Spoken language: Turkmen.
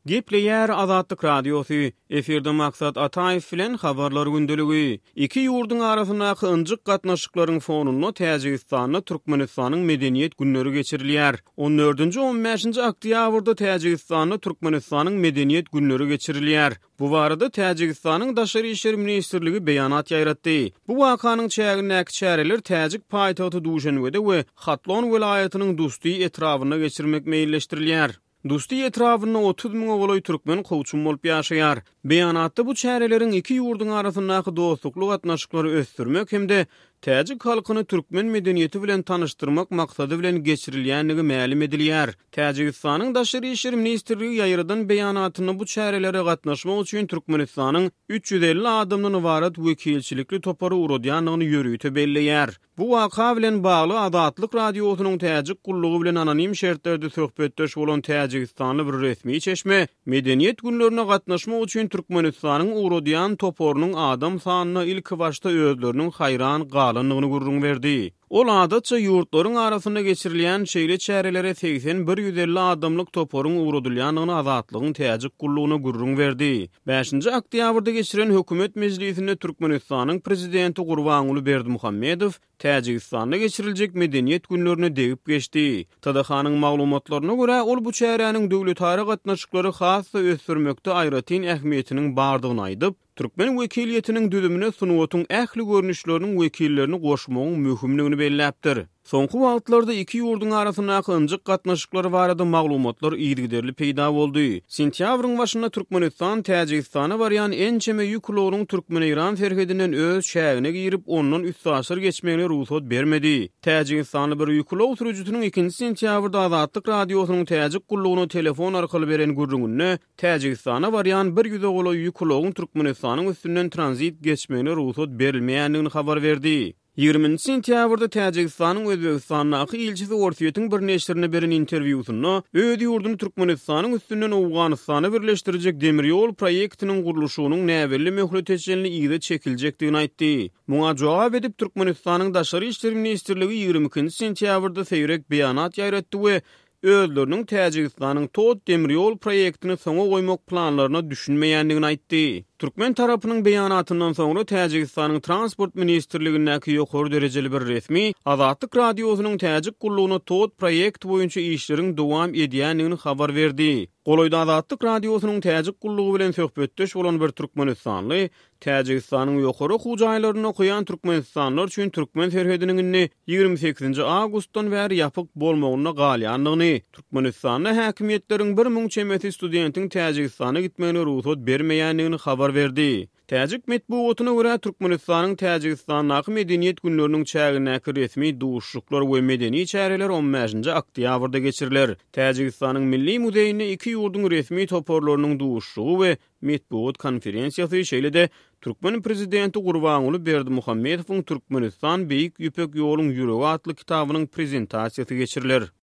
Gepleýär Azatlyk Radiosy, efirde Maksat Ataýew bilen Habarlar gündeligi. Iki ýurduň arasyndaky ynjyk gatnaşyklaryň fonunda Täjigistanda Türkmenistanyň Medeniýet günleri geçirilýär. On dördünji, on bäşinji oktýabrda Täjigistanda Türkmenistanyň Medeniýet günleri geçirilýär. Bu barada Täjigistanyň Daşary işler ministrligi beýanat ýaýratdy. Bu wakanyň çägindäki çäreler täjik paýtagty Duşenbede we Hatlon welaýatynyň Dusti etrabynda geçirmek meýilleşdirilýär. Dusti etrabynda 30 müňe golaý türkmen kowçum bolup ýaşaýar. Beýanatda bu çäreleriň iki ýurduň arasyndaky dostlukly gatnaşyklary ösdürmek hem-de täjik halkyny türkmen medeniýeti bilen tanyşdyrmak maksady bilen geçirilýändigi mälim edilýär. Täjigistanyň Daşary işler ministrligi ýaýradan beýanatynda bu çärelere gatnaşmak üçin Türkmenistanyň 350 adamdan ybarat wekilçilikli topary ugradýandygyny ýörite belleýär. Bu waka bilen bagly Azatlyk Radiosynyň Täjik gullugy bilen anonim şertlerde söhbetdeş bolan täjigistanly bir resmi çeşme Medeniýet günlerine gatnaşmak üçin Türkmenistanyň ugradýan toparynyň adam sanyna ilkibaşda özleriniň haýran galandygyny gürrüň berdi. Ol adatça ýurtlaryň arasynda geçirilýän şeýle çärelere 81 150 adamlyk toparyň ugradylýandygyny Azatlygyň Täjik gullugyna gürrüň berdi. Bäşinji oktýabrda geçiren hökümet mejlisinde Türkmenistanyň Prezidenti Gurbanguly Berdimuhamedow Täjigistanda geçiriljek Medeniýet günlerine degip geçdi. TDH-nyň maglumatlaryna görä, ol bu çäräniň döwletara gatnaşyklary has-da ösdürmekde aýratyn ähmiýetiniň bardygyny aýdyp, türkmen wekiliýetiniň düzümine sungatyň ähli görnüşleriniň wekillerini goşmagyň möhümdigini belläpdir. Soňky wagtlarda iki ýurduň arasyndaky ynjyk gatnaşyklar barada maglumatlar yzygiderli peýda boldy. Sentýabryň başynda Türkmenistan Täjigistana barýan ençeme ýük ulagynyň türkmen-eýran serhedinden öz çägine girip, ondan üstaşyr geçmegine rugsat bermedi. Täjigistanly bir ýük ulag sürüjisiniň ikinji sentýabrda Azatlyk Radiosynyň Täjik gullugyna telefon arkaly beren gürrüňinde Täjigistana barýan bir ýüze golaý ýük ulagyň Türkmenistanyň üstünden tranzit geçmegine rugsat berilmeýändigini habar berdi. Ýigriminji sentýabrda Täjigistanyň Özbegistandaky ilçisi Orsýetiň bir neşirine beren interwýusynda öz ýurduny Türkmenistanyň üstünden Owganystana birleşdirjek demir ýol proýektiniň gurluşygynyň näbelli möhlete çenli yza çekiljekdigini aýtdy. Muňa jogap edip, Türkmenistanyň Daşary işler ministrligi 22-nji sentýabrda seýrek beýanat ýaýratdy we özleriniň Täjigistanyň TOT demir ýol proýektini soňa goýmak planlaryna düşünmeýändigini aýtdy. Türkmen tarapynyň beýanatyndan soňra Täjigistanyň Transport ministrligindäki ýokary derejeli bir resmi Azatlyk Radiosynyň Täjik gullugyna TOT proýekti boýunça işleriň dowam edýändigini habar berdi. Golaýda Azatlyk Radiosynyň Täjik gullugy bilen söhbetdeş bolan bir türkmenistanly Täjigistanyň ýokary okuw jaýlarynda okaýan türkmenistanlylar üçin türkmen serhediniň indi 28-nji awgustdan bäri ýapyk bolmagynda galýandygyny, Türkmenistanda häkimiýetleriň 1000 çemesi studentiň Täjigistana gitmegine rugsat bermeýändigini habar berdi. Täjik metbugatyna görä, Türkmenistanyň Täjigistandaky Medeniýet günleriniň çägindäki resmi duşuşyklar we medeni çäreler on bäşinji oktýabrda geçiriler. Täjigistanyň Milli muzeýinde iki ýurduň resmi toparlarynyň duşuşygy we metbugat konferensiýasy, şeýle-de türkmen prezidenti Gurbanguly Berdimuhamedowyň Türkmenistan, Beýik Ýüpek ýoluň ýüregi atly kitabynyň prezentasiýasy geçiriler.